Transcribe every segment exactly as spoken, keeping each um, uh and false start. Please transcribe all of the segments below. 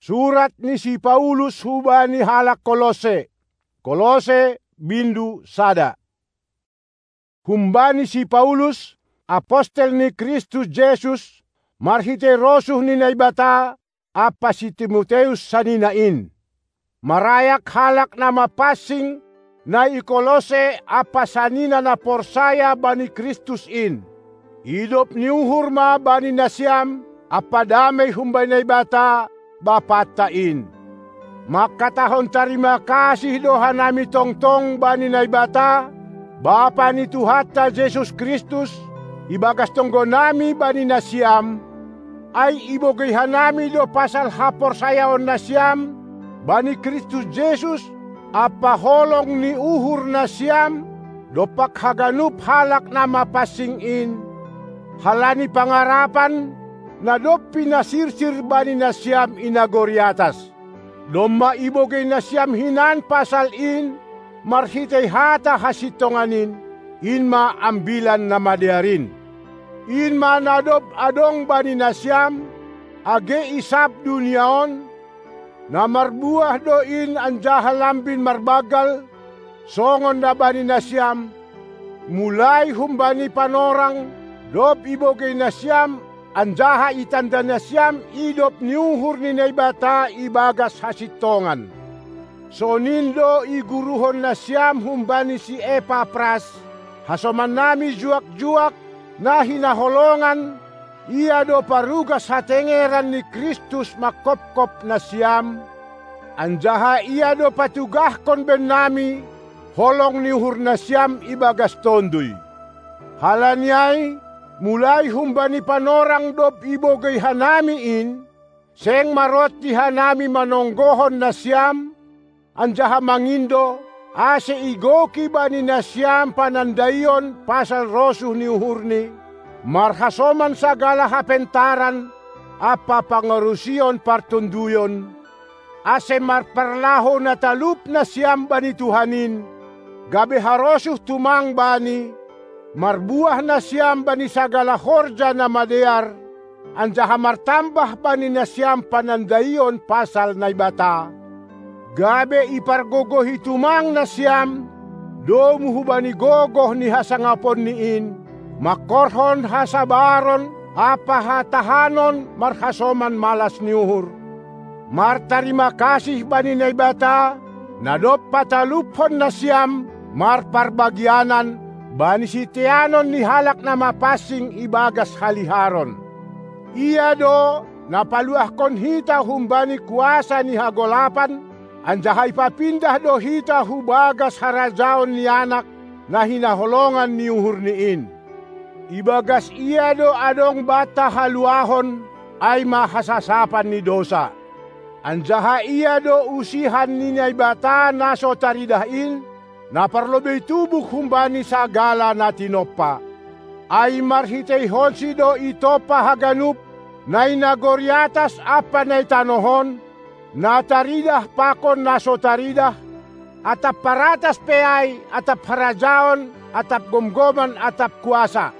Surat ni si Paulus hubani halak Kolose. Kolose, bindu sada. Humbani si Paulus, apostel ni Kristus Jesus, marhitei rosuh ni Naibata, ampa si Timoteus sanina in. Marayak halak na mapansing, na i Kolose ampa sanina na porsaya bani Kristus in. Idop ni uhur ma bani nasiam, ampa damei humbani Naibata, Bapanta in. Mangkatahon tarima kasih do hanami tongtong bani Naibata, Bapa ni Tuhanta Jesus Kristus, ibagas tonggonami bani nasiam, ai ibogei hanami do pasal haporsayaon nasiam bani Kristus Jesus, ampa holong ni uhur nasiam dompak haganup halak na mapansing in, halani pangarapan, na dob pinasirsir bani nasiam i nagori atas. Domma ibogei nasiam hinan pasal in marhitei hata hasintongan in, in ma Ambilan Namadear in. In ma na dob adong bani nasiam, age i sab dunia on, na marbuah do in anjaha lambin marbanggal, songon na bani nasiam, mulai humbani panorang, dob ibogei nasiam, anjaha itanda nasiam idop ni uhur ni Naibata ibagas hasintongan. Sonin do iguruhon nasiam humbani si Epapras, hasomannami juak-juak, na hinaholongan, ia do parugas hatengeran ni Kristus mangkopkop nasiam, anjaha ia do patugahkon bennami, holong ni uhur nasiam ibagas tonduy. Halani ai, mulai humbani panorang dob ibogei hanami in, seng maronti hanami manonggohon nasiam, anjaha mangindo, ase igoki bani nasiam panandaion pasal rosuh ni uhurni, marhasoman sagala hapentaran ampa pangarusion partonduyon, ase marparlahou na talup nasiam bani Tuhan in, gabe harosuh tumang Bani, marbuah nasiam bani sagala horja na madear, anjaha martambah bani nasiam panandaion pasal Naibata, gabe ipargogohi tumang nasiam, domu hubani gogoh ni hasangaponni in, mangkorhon hasabaron ampa hatahanon marhasoman malas ni uhur. Martarima kasih bani Naibata, na dob pataluphon nasiam marparbagianan bani siteanon ni halak na mapansing ibagas haliharon. Ia do na paluahkon hita humbani kuasa ni hagolapan, anjaha ipapindah do hita hu bagas harajaon ni Anak, na hinaholongan ni uhurni in. Ibagas Ia do adong banta haluahon, ai ma hasasapan ni dousa. Anjaha Ia do usihan ni Naibata na so taridah in, na parlobei tubuh humbani sagala na tinompa. Ai marhiteihonSi do itompa haganup, na i nagori atas ampa na i tanoh on, na taridah pakon na so taridah, atap paratas pe ai, atap harajaon, atap gomgoman, atap kuasa.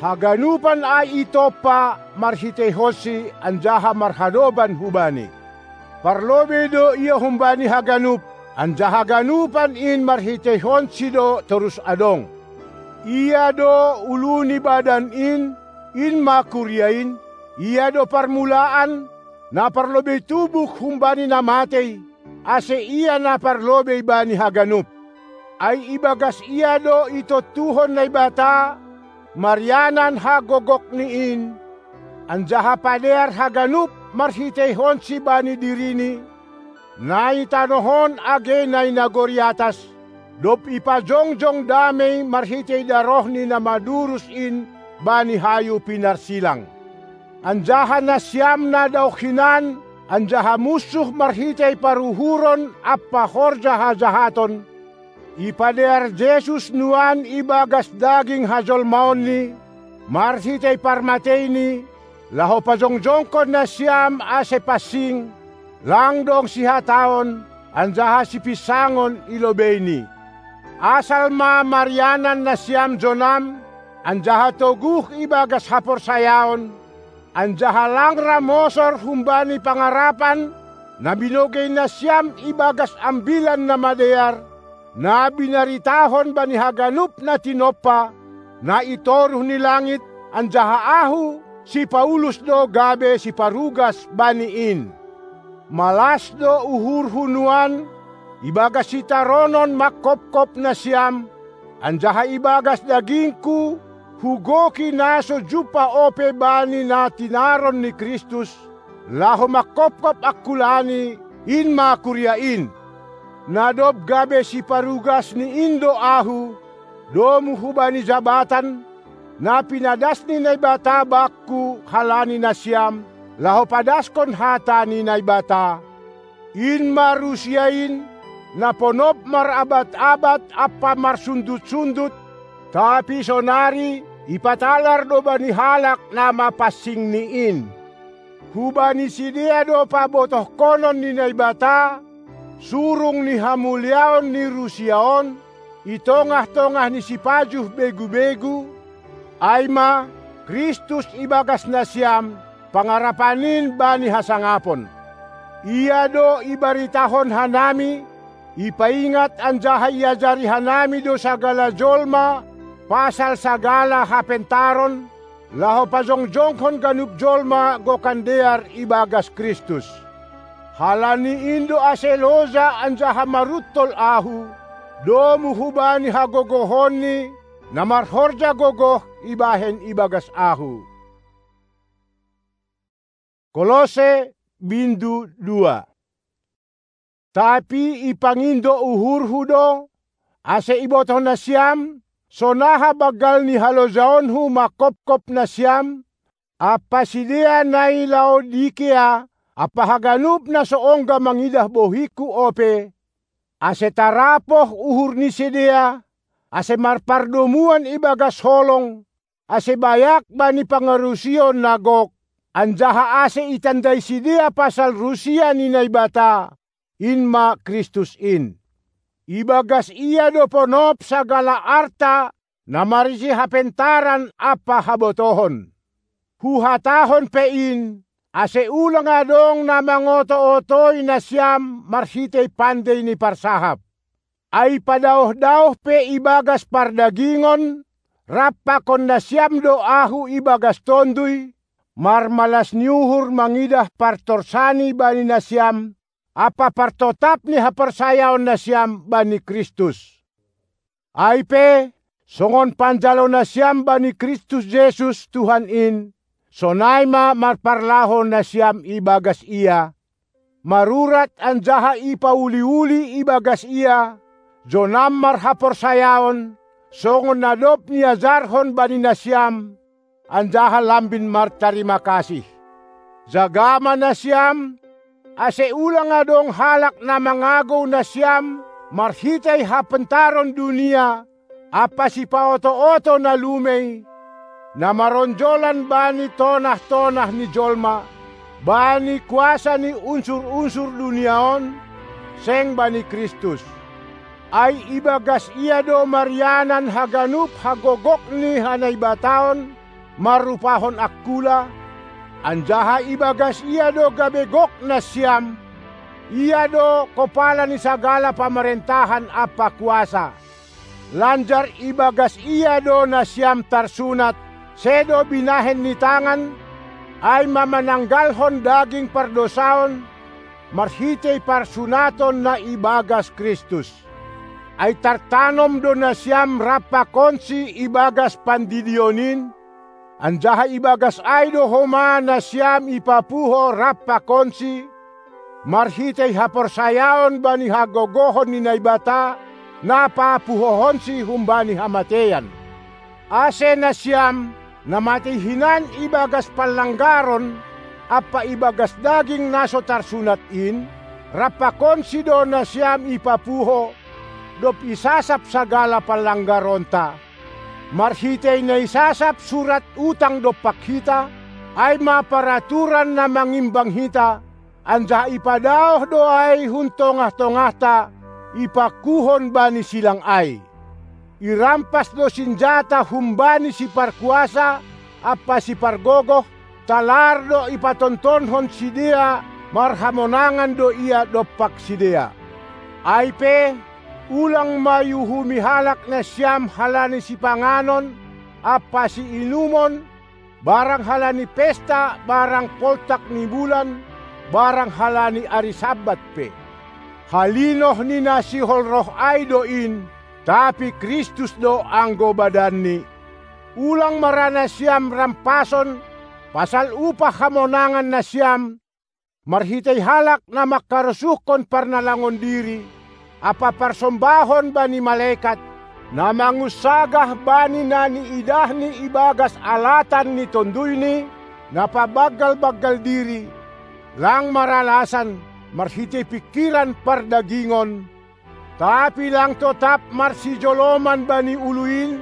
Haganupan ai itompa marhiteikonSi anjaha marhadopan hu Bani. Parlobei do Ia humbani haganup, anjaha haganupan in marhiteikonSi do torus adong. Ia do ulu ni badan in, in ma kuria in, Ia do parmulaan, na parlobei tubuh humbani na matei, ase Ia na parlobei bani haganup. Ai ibagas Ia do itontuhon Naibata, marianan hagogokni in, anjaha padear haganup marhiteikonSi Bani diriNi, na i tanoh on age na i nagori atas, dob ipajongjong damei marhitei darohNi na madurus in bani hayu pinarsilang. Anjaha nasiam na daoh hinan, anjaha munsuh marhitei paruhuron ampa horja hajahaton, ipadear Jesus nuan ibagas daging hajolmaonNi, marhitei parmateiNi, laho pajongjongkon nasiam ase pansing, lang dong sihataon, anjaha sipinsangon i lobeini. Asal ma marianan nasiam jonam, anjaha toguh ibagas haporsayaon, anjaha lang ra mosor humbani pangarapan, na binogei nasiam ibagas Ambilan Namadear, na binaritahon bani haganup na tinompa, na i toruh ni langit, anjaha ahu, si Paulus do gabe siparugas bani in. Malas do uhurhu nuan, ibagas sitaronon mangkopkop nasiam, anjaha ibagas dagingku, hugoki na so jumpah ope bani na tinaron ni Kristus, laho mangkopkop angkulani, in ma kuria in. Na dob gabe siparugasni in do ahu, domu hubani jabatan, na pinadas ni Naibata bakku halani nasiam, laho padaskon hata ni Naibata. In ma Rusia in, na ponop marabat-abat ampa marsundut-sundut, tapi sonari ipatalar do bani halak na mapansingni in. Hubani sidea do pabotohkonon ni Naibata, surung ni hamuliaon ni Rusia on, i tongah-tongah ni sipajuh begu-begu, ai ma, Kristus ibagas nasiam, pangarapan in bani hasangapon. Ia do ibaritahon hanami, ipaingat anjaha iajari hanami do sagala jolma pasal sagala hapentaron, laho pajongjonghon ganup jolma gokan dear ibagas Kristus. Halani in do ase loja anjaha maruntol ahu, domu hubani hagogohonni, na marhorja gogoh ibahen ibagas ahu. Kolose, bindu dua. Tapi ipangindo uhurhu do, ase ibotoh nasiam, sonaha banggal ni halojaonhu mangkopkop nasiam, ampa sidea na i Laodikea, ampa haganup na so ongga mangidah bohingku ope, ase tarapoh uhur ni sidea, ase marpardomuan ibagas holong, ase bayak bani pangarusion na gok, anjaha ase itandai sidea pasal Rusia ni Naibata, in ma Kristus in. Ibagas ia do ponop sagala arta, na marisi hapentaran ampa habotohon. Huhatahon pe in, ase ulang adong na mangoto-otoi nasiam marhitei pandei ni parsahap. Ai padaoh-daoh pe ibagas pardagingon, rap pakon nasiam do ahu ibagas Tonduy, marmalas ni uhur mangidah partorsani bani nasiam, ampa partotap ni haporsayaon nasiam bani Kristus. Ai pe, songon panjalo nasiam bani Kristus Jesus Tuhan in, sonai ma marparlaho nasiam ibagas Ia, marurat anjaha ipauli-uli ibagas Ia, jonam marhaporsayaon, songon na dob niajarhon bani nasiam, anjaha lambin martarima kasih. Jaga ma nasiam, ase ulang adong halak na mangagou nasiam marhitei hapentaron dunia, ampa sipaoto-oto na lumei, na maronjolan bani tonah-tonah ni jolma, bani kuasa ni unsur-unsur dunia on, seng bani Kristus. Ai ibagas Ia do marianan haganup hagogok ni hanaibataon, marrupahon angkula, anjaha ibagas Ia do gabe gok nasiam, Ia do kopala ni sagala pamarentahan ampa kuasa. Lanjar ibagas Ia do nasiam tarsunat, sedo binahen ni tangan, ai ma mananggalhon daging pardosaon, marhitei parsunaton na ibagas Kristus. Ai tartanom do nasiam rap pakonSi ibagas pandidion in, anjaha ibagas ai do homa nasiam ipapuho rap pakonSi, marhitei haporsayaon bani hagogohon ni Naibata, na papuhohonSi humbani hamateian. Ase nasiam, na matei hinan ibagas panlanggaron ampa ibagas daging na so tarsunat in, rap pakonSi do nasiam ipapuho, dob isasap sagala panlanggaronta, marhitei na isasap surat utang dompak hita, ai ma paraturan na mangimbang hita, anjaha ipadaoh do ai hun tongah-tongahta, ipakuhon bani silang ai. Irampas do sinjata humbani Siparkuasa ampa Sipargogoh, talar do ipatontonhon sidea marhamonangan do ia dompak sidea. Ai pe, ulang ma iuhumi halak nasiam halani sipanganon ampa siinumon, barang halani pesta, barang poltak ni bulan, barang halani ari Sabbat pe. Halinoh ni na sihol roh ai do in, tapi Kristus do anggo badanni. Ulang ma ra nasiam rampason pasal upah hamonangan nasiam, marhitei halak na mangkarosuhkon parnalangon diri ampa parsombahon bani malekat, na mangunsagah bani na niidahni ibagas alatan ni tonduyni, na pabanggal-banggal diri, lang maralasan marhitei pingkiran pardagingon, tapi lang totap marsijoloman bani ulu in,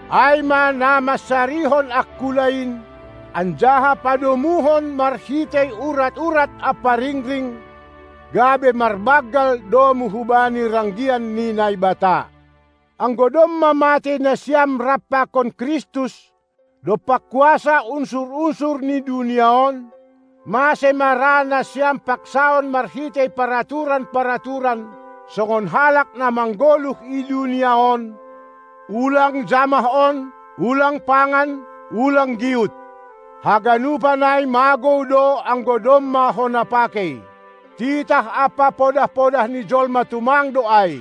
ai ma na mansarihon angkula in, anjaha padomuhon marhitei urat-urat ampa ringring, gabe marbanggal domu hubani ranggian ni Naibata. Anggo domma matei nasiam rap pakon Kristus, dompak kuasa unsur-unsur ni dunia on, mase ma ra nasiam paksaon marhitei paraturan-paraturan songon halak na manggoluh i dunia on, ulang jamah on, ulang pangan, ulang giut. Haganupan ai magou do anggo domma hona pakei. Titah ampa podah-podah ni jolma tumang do ai.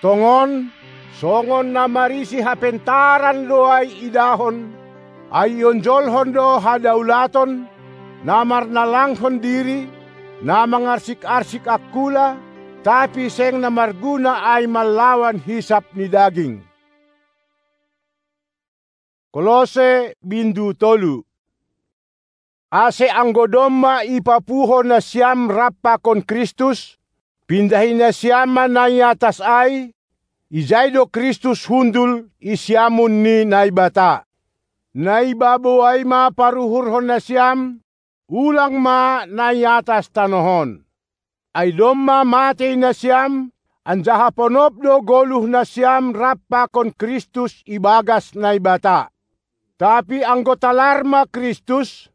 Tongon, songon na marisi hapentaran do ai idahon, ai ionjolhon do hadaulaton, na marnalanghon diri, na mangarsik-arsik angkula, tapi seng na marguna ai mallawan hisap ni daging. Kolose bindu tolu. Ase anggo domma ipapuho nasiam rap pakon Kristus, pindahi nasiam ma na i atas ai, ijai do Kristus hundul i siamun ni Naibata. Na i babou ai ma paruhurhon nasiam, ulang ma na i atas tanoh on. Ai domma matei nasiam, anjaha ponop do goluh nasiam rap pakon Kristus ibagas Naibata. Tapi anggo talar ma Kristus,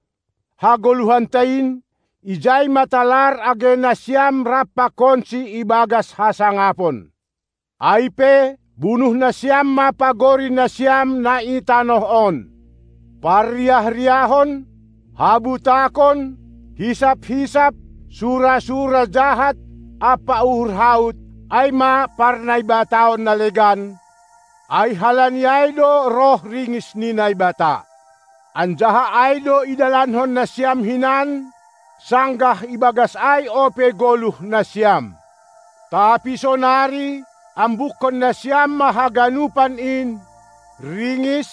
hagoluhanta in, ijai ma talar age nasiam rap pakonsi ibagas hasangapon. Ai pe, bunuh nasiam ma pagori nasiam na i tanoh on: Parriah-riahon, habutakon, hisap-hisap, sura-sura jahat, ampa uhur haut, ai ma parnaibataon na legan, ai halani ai do roh ringis ni Naibata. Anjaha ai do idalankon nasiam hinan, sanggah ibagas ai ope goluh nasiam. Tapi sonari, ambukkon nasiam ma haganupan in: ringis,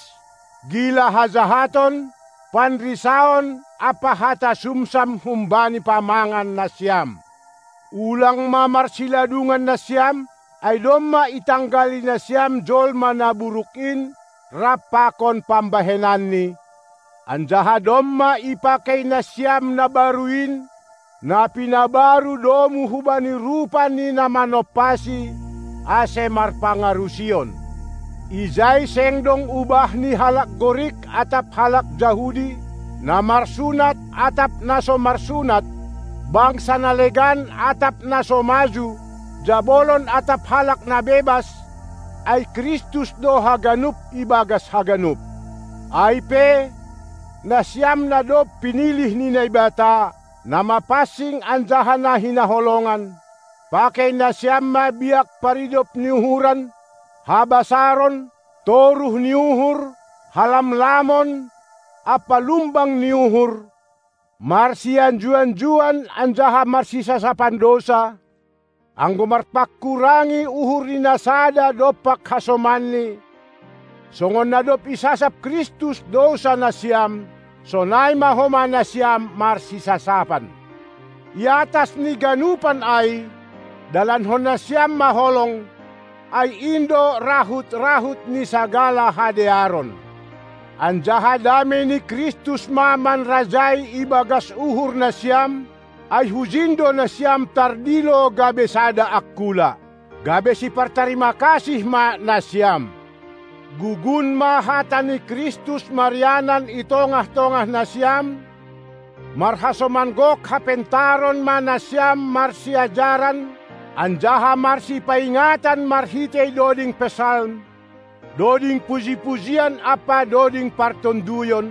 gila hajahaton, panrisaon ampa hata sumsam humbani pamangan nasiam. Ulang ma marsiladungan nasiam, ai domma itanggali nasiam jolma na buruk in rap pakon pambahenanni, anjaha domma ipakei nasiam na baru in, na pinabaru domu hubani rupa ni na manompasi, ase marpangarusion. Ijai seng dong ubah ni halak Gorik atap halak Jahudi, na marsunat atap na so marsunat, bangsa na legan atap na so maju, jabolon atap halak na bebas, ai Kristus do haganup ibagas haganup. Ai pe, nasiam na dob pinilih ni Naibata, na mapansing anjaha na hinaholongan, pakei nasiam ma biak paridop ni uhuran, habasaron, toruh ni uhur, halamlamon, ampa lumbang ni uhur, marsianju-anjuan anjaha marsisasapan dousa, anggo marpangkurangi uhur ni na sada dompak hasomanni, songon na dob isasap Kristus dousa nasiam, sonai ma homa nasiam marsisasapan. I atas ni ganupan ai, dalankon nasiam ma holong, ai in do rahut-rahut ni sagala hadearon. Anjaha dame ni Kristus ma manrajai ibagas uhur nasiam, ai hujin do nasiam tardilo gabe sada angkula, gabe sipartarima kasih ma nasiam. Gugun ma hata ni Kristus marianan i tongah-tongah nasiam, Marhasoman gok hapentaron ma nasiam marsiajaran, anjaha marsipaingatan marhitei doding psalm, doding puji-pujian ampa doding partonduyon,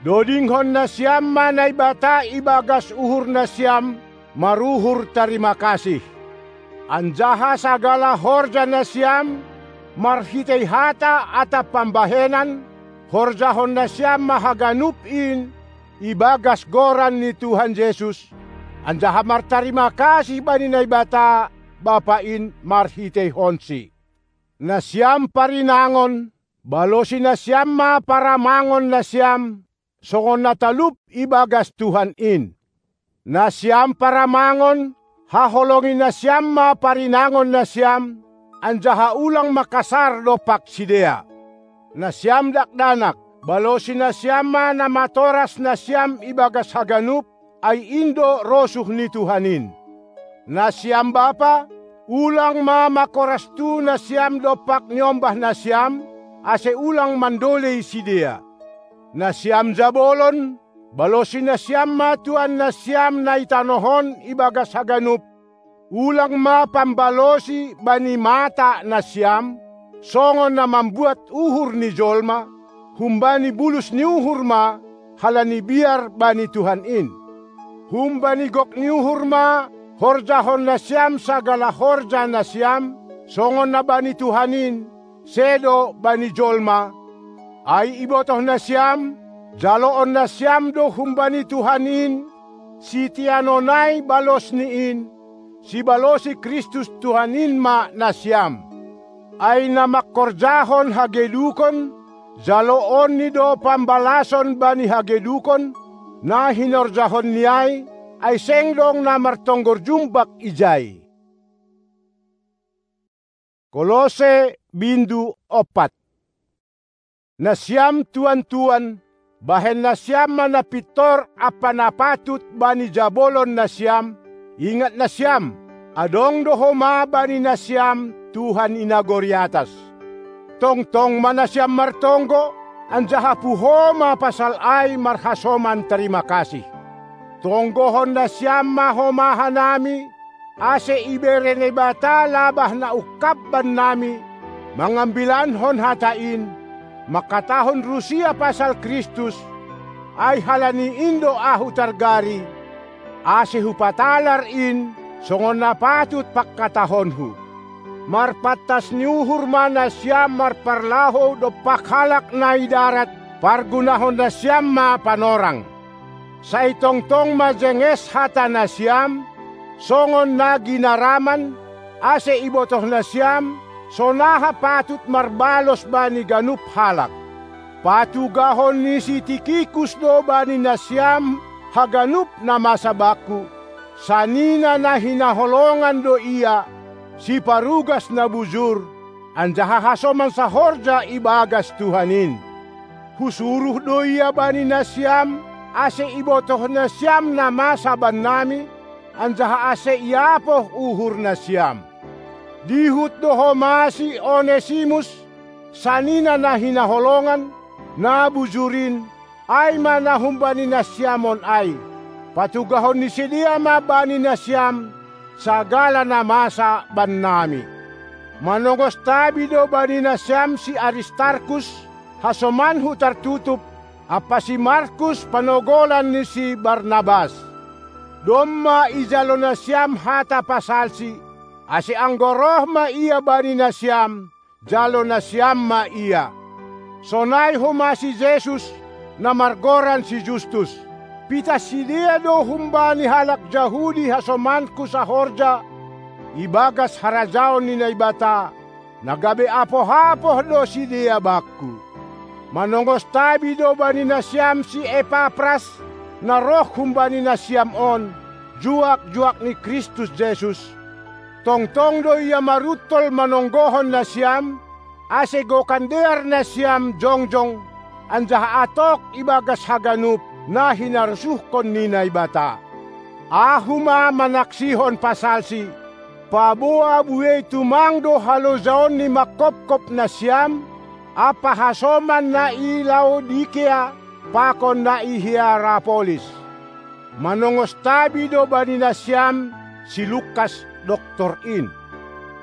dodinghon nasiam ma Naibata ibagas uhur nasiam, maruhur tarima kasih. Anjaha sagala horja nasiam, marhitei hata atap pambahenan, horjahon nasiam ma haganup in, ibagas goran ni Tuhan Jesus, anjaha martarima kasih bani Naibata, Bapa in marhiteihonsi. Nasiam parinangon, balosi nasiam ma paramangon nasiam, songon na talup ibagas Tuhan in. Nasiam paramangon, haholongi nasiam ma parinangon nasiam, anjaha ulang ma kasar dompak sidea. Nasiam dakdanak, balosi nasiam ma na matoras nasiam ibagas haganup, ai in do rosuh ni Tuhan in. Nasiam bapa, ulang ma mangkoras tu nasiam dompak niombah nasiam, ase ulang mandolei sidea. Nasiam jabolon, balosi nasiam ma tuan nasiam na i tanoh on ibagas haganup, ulang ma pambalosi bani mata nasiam, songon na mambuat uhur ni jolma, humbani bulus ni uhur ma, halani biar bani Tuhan in. Humbani gok ni uhur ma, horjahon nasiam sagala horja nasiam, songon na bani Tuhan in, sedo bani jolma. Ai ibotoh nasiam, jaloon nasiam do humbani Tuhan in, siteanon ai balos ni in, sibalosi Kristus Tuhan in ma nasiam. Ai na mangkorjahon hagedukon, jaloonni do pambalason bani hagedukon, na hinorjahonni ai, ai seng dong na martonggor jumbak ijai. Kolose bindu ompat. Nasiam tuan-tuan, bahen nasiam ma na pintor ampa na patut bani jabolon nasiam, ingat nasiam, adong do homa bani nasiam Tuhan i nagori atas. Tongtong ma nasiam martonggo, anjaha puho ma pasal ai marhasoman tarima kasih. Tonggohon nasiam ma homa hanami, ase ibere Naibata labah na ungkap bannami, mangambilankon hata in, mangkatahon Rusia pasal Kristus, ai halani in do ahu targari, ase hupatalar in, songon na patut pangkatahonku. Marpantas ni uhur ma nasiam marparlahou dompak halak na i darat, pargunahon nasiam ma panorang. Sai tongtong ma jenges hata nasiam, songon na ginaraman, ase ibotoh nasiam, sonaha patut marbalos bani ganup halak. Patugahon ni si Tikikus do bani nasiam haganup na masa bakku, sanina na hinaholongan do ia, siparugas na bujur, anjaha hasoman sahorja ibagas Tuhan in. Husuruh do ia bani nasiam, ase ibotoh nasiam na masa bannami, anjaha ase iapoh uhur nasiam. Dihut do homa si Onesimus, sanina na hinaholongan, na bujur in, ai ma na humbani nasiam on ai. Patugahon ni sidea ma bani nasiam, sagala na masa bannami. Manongos tabi do bani nasiam si Aristarkus, hasomanku tartutup, ampa si Markus panogolan ni si Barnabas. Domma ijalo nasiam hata pasalsi, ase anggo roh ma ia bani nasiam, jalo nasiam ma ia. Sonai homa si Jesus, na margoran si Justus. Pitah sidea do humbani halak Jahudi hasomanku sahorja, ibagas harajaon ni Naibata, na gabe apoh-apoh do sidea bakku. Manongos tabi do bani nasiam si Epapras, na roh humbani nasiam on, juak-juak ni Kristus Jesus. Tongtong do ia maruntol manonggohon nasiam, ase gokan dear nasiam jongjong, anjaha atok ibagas haganup na hinarosuhkon ni Naibata. Ahu ma manaksihon pasalsi, paboa buei tumang do halojaon ni mangkopkop nasiam, ampa hasoman na i Laodikea, pakon na i Hierapolis. manongos tabi do bani nasiam si Lukas doktor in.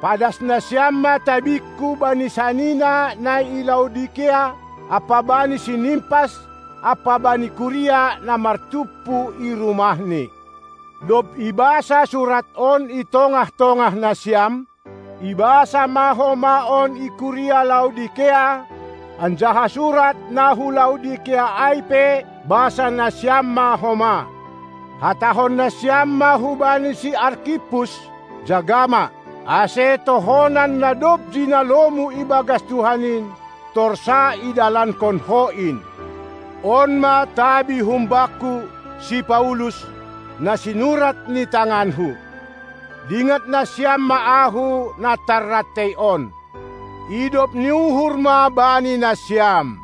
Padas nasiam ma tabingku bani sanina na i Laodikea ampa bani si Nimpas ampa bani kuria na martumpu i rumahni. Dob ibasa surat on i tongah-tongah nasiam, ibasa ma homa on i kuria Laodikea, anjaha surat na hu Laodikea ai pe basa nasiam ma homa. Hatahon nasiam ma hubani si Arkippus: Jaga ma, ase tohonan na dob jinalomu ibagas Tuhan in, torsa idalankon ho in. On ma tabi humbakku, si Paulus, na sinurat ni tanganhu. Dingat nasiam ma ahu na tarrantei on. Idop ni uhur ma bani nasiam.